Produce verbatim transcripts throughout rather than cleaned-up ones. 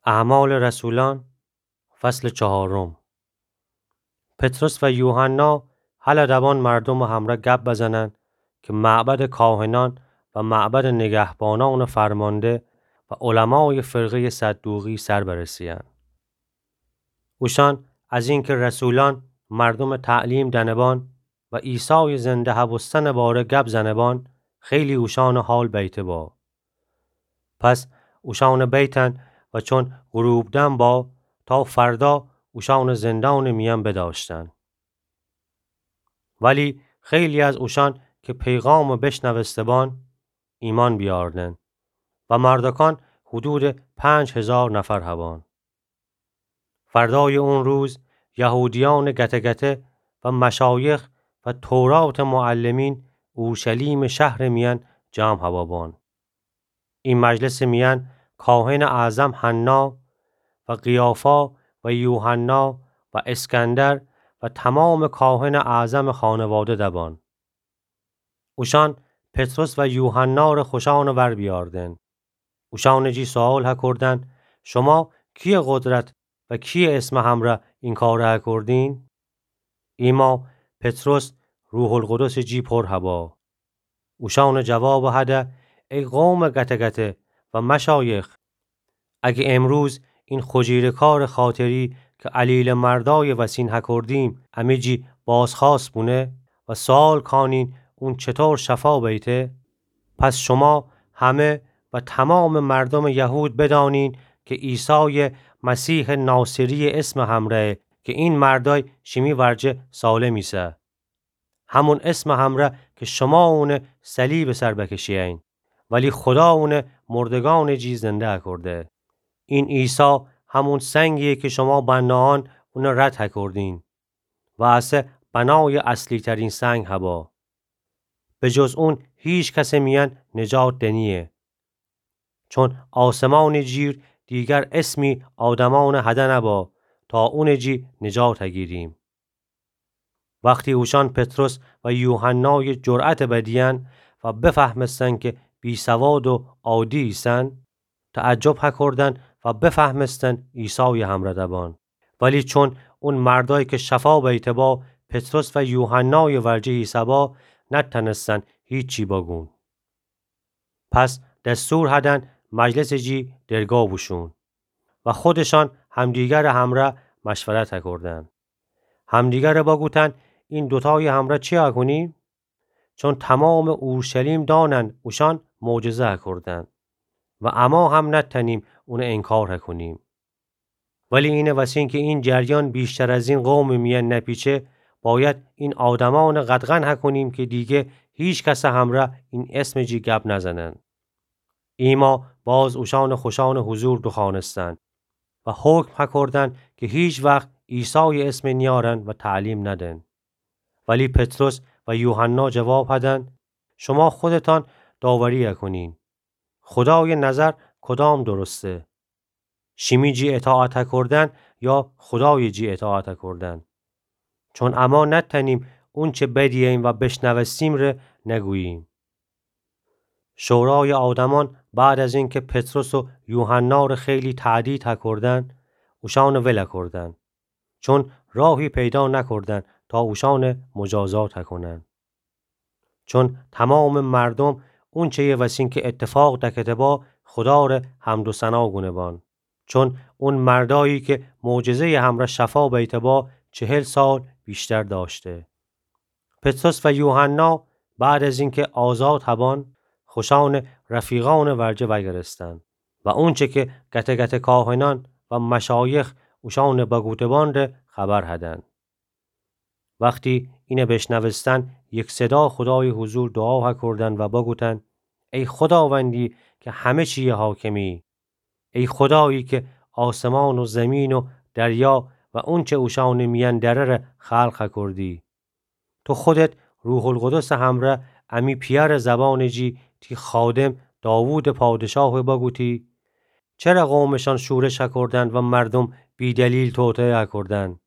اعمال رسولان، فصل چهارم. پطرس و یوحنا هله دبان مردومٚ همرأ گب بزنن کی معبدٚ کاهنأن و معبدٚ نگهبانأنٚ فرمانده و علمایٚ فرقه‌یٚ صدوقی سر برسه‌یأن. اوشأن از اینکه رسولأن مردومٚ تعلیم دأنه‌بان و عیسایٚ زنده هبوستنٚ باره گب زنه‌بان، خیلی اوشأنٚ حال بیته با. پس اوشأنٚ بیتن و چون غروب دم با، تا فردا اوشأنٚ زندانٚ میأن بدأشتن. ولی خیلی از اوشأن که پیغامٚ بشنوسته‌بان، ایمأن بیأردن و مردکان حدودٚ پنج هیزار نفر هبان. فردایٚ اون روز یهودیأنٚ گته‌گته و مشایخ و توراتٚ معلمین اورشلیمٚ شهرٚ میأن جمع هوابان. ای مجلسٚ میأن کاهنٚ اعظم حنا و قیافا و یوحنا و اسکندر و تمامٚ کاهنٚ اعظمٚ خانواده دبان. اوشأن پطرس و یوحنا ره خوشأنٚ ور بیأردن. اوشأنٚ جی سؤال هکردن: شما کییٚ قدرت و کییٚ اسمٚ همرأ این کاره هکردین؟ ایما پطرس روح‌القدسٚ جی پر هبا. اوشأنٚ جواب هده: ای قومٚ گته‌گته و مشایخ، اگه امروز این خجیره‌کارٚ خاطری که الیلٚ مردایٚ وسین هکردیم، امی جی بازخوأست بونه و سؤال کانین اون چطور شفا بیته، پس شما همه و تمامٚ مردومٚ یهود بدأنین که عیسایٚ مسیحٚ ناصری‌یٚ اسمٚ همرأیه که این مردای شیمی ورجه سالم ایسه. همون اسمٚ همرأ که شما اونه صلیبٚ سر بکشه‌یین، ولی خدا اونه مردگانٚ جی زنده هکرده. این عیسی همون سنگییه که شما بنایأن اونه رد هکردین و اسه بنایٚ اصلی‌ترین سنگ هبا. به جز اون هیچ کسٚ میأن نجات دنییه. چون آسمانٚ جیر دیگر اسمی آدمأنٚ هده نبا تا اونٚ جی نجات هگیریم. وختی اوشأن پطرس و یوحنایٚ جرأتٚ بدیأن و بفهمستن که بی‌سواد و عادی ایسن، تعجب هکردن و بفهمستن عیسایٚ همرأ دبان. ولی چون اون مردای که شفا بیته با پطرس و یوحنایٚ ورجه ایسه‌با، نتأنستن هیچی بگون. پس دستور هدن مجلسٚ جی درگا بوشون و خودشان همدیگرٚ همرأ مشورت هکردن. همدیگرٚ بگوتن: این دوتایٚ همرأ چی هکونیم؟ چون تمامٚ اورشلیم دانن اوشأن معجزه هکردن و اما هم نتأنیم اون انکار هکونیم. ولی اینه وسین که این جریان بیشتر از این قومٚ میأن نپیچه، باید این آدمأنٚ قدغن هکونیم که دیگه هیچ کسٚ همرأ این اسمٚ جی گب نزنن. ایما باز اوشأنٚ خوشأنٚ حضور دوخوأنستن و حکم هکردن که هیچ وخت عیسایٚ اسم نیأرن و تعلیم ندن. ولی پطرس و یوحنا جواب هدن: شما خودتان داوری هکونین. خدایٚ نظر کدام درسته؟ شیمی جی اطاعت هکردن یا خدایٚ جی اطاعت هکردن؟ چون اما نتأنیم اونچه بدییم و بشنوستیم ره نگوییم. شورایٚ آدمأن بعد از اینکه پطرس و یوحنا ره خیلی تهدید هکردن، اوشأن ول هکردن. چون راهی پیدا نکردن تا اوشأن مجازات هکونن. چون تمامٚ مردوم اونچه‌یٚ وسین که اتفاق دکته با خدا ره حمد و ثنا گونه بان. چون اون مردایی که معجزه‌یٚ همرأ شفا بیته با چهل سال ویشتر دأشته. پطرس و یوحنا بعد از اینکه آزاد هبان، خوشأنٚ رفیقأنٚ ورجه وأگرستن و اونچه که گته‌گته کاهنأن و مشایخ اوشأن بگوته بان ره خبر هدن. وختی اینه بشنوستن، یکصدا خدایٚ حضور دوعا هکردن و بگوتن: ای خداوندی که همه چییٚ حاکمی، ای خدایی که آسمان و زمین و دریا و اونچه اوشأنٚ میأن دره ره خلق هکردی. تو خودت روح‌القدسٚ همرأ امی پیأرٚ زبانٚ جی تی خادم داوودٚ پادشاه بگوتی: چره قومٚ شأن شورش هکردن و مردوم بی‌دلیل توطئه هکردن؟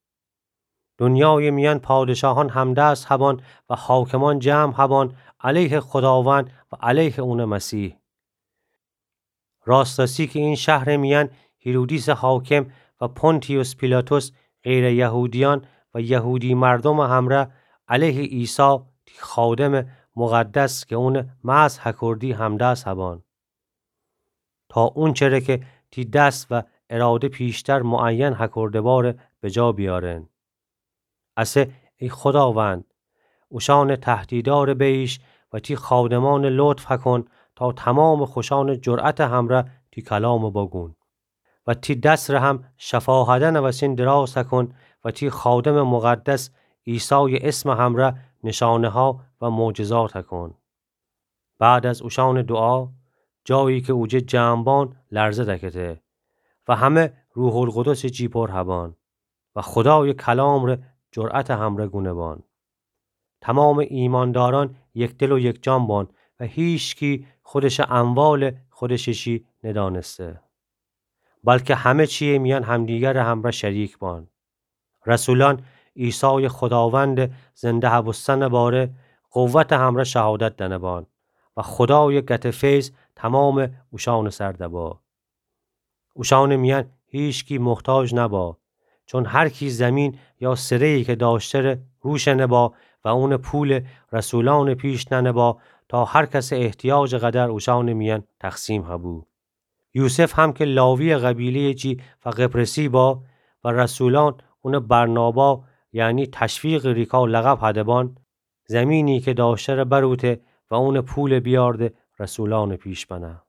دونیایٚ میأن پادشاهأن همدست هبان و حاکمأن جمع هبان علیه خداوند و علیه اونٚ مسیح. راست‌راستی که این شهرٚ میأن هیرودیس حاکم و پونتیوس پیلاتوس غیر یهودیأن و یهودی مردومٚ همره علیه عیسی تی خادمٚ مقدس کی اونٚ مسح هکردی همدست هبأن، تا اونچره کی تی دس و اراده پیشتر معین هکرده باره بجا بیأرن. اسه ای خوداوند، اوشأنٚ تهدیدأره بییش و تی خادمأنٚ لطف هکن تا تومامٚ خوشأنٚ جرأتٚ همره تی کلامٚ بگون و تی دس ره هم شفاهدأنٚ وسین دراز هکن و تی خادمٚ مقدس عیسایٚ اسمٚ همره نشانه‌ها و معجزات هکن. بعد از اوشأنٚ دوعا، جایی کی اوجه جمع بأن لرزه دکته و همه روح‌القدسٚ جی پر هبأن و خودایٚ کلام ره جرأتٚ همره گونه بأن. تومامٚ ایماندارأن یکدل و یکجان بأن و هیچکی خودشٚ اموالٚ خودشٚ شی ندأنسته، بلکه همه چییٚ میأن همدیگرٚ همره شریک بأن. رسولأن عیسایٚ خوداوندٚ زنده هبوستنٚ باره قوتٚ همره شهادت دأنه بأن و خودایٚ گتٚ فیض تومامٚ اوشأنٚ سر دبا. اوشأنٚ میأن هیچکی محتاج نبا، چون هر کی زیمین یا سره‌یی کی دأشته‌ره روشنه با و اونٚ پول رسولأنٚ پیش ننه با، تا هر کسٚ احتیاجٚ قدر اوشأنٚ میأن تقسیم هبو. یوسف هم کی لاوییٚ قبیله‌یٚ جی و قبرسی با و رسولأن اونٚ برنابا، یعنی تشویقٚ ریکا لقب هده بأن، زیمینی کی دأشته‌ره بروته و اونٚ پول بیأرده رسولأنٚ پیش بنه.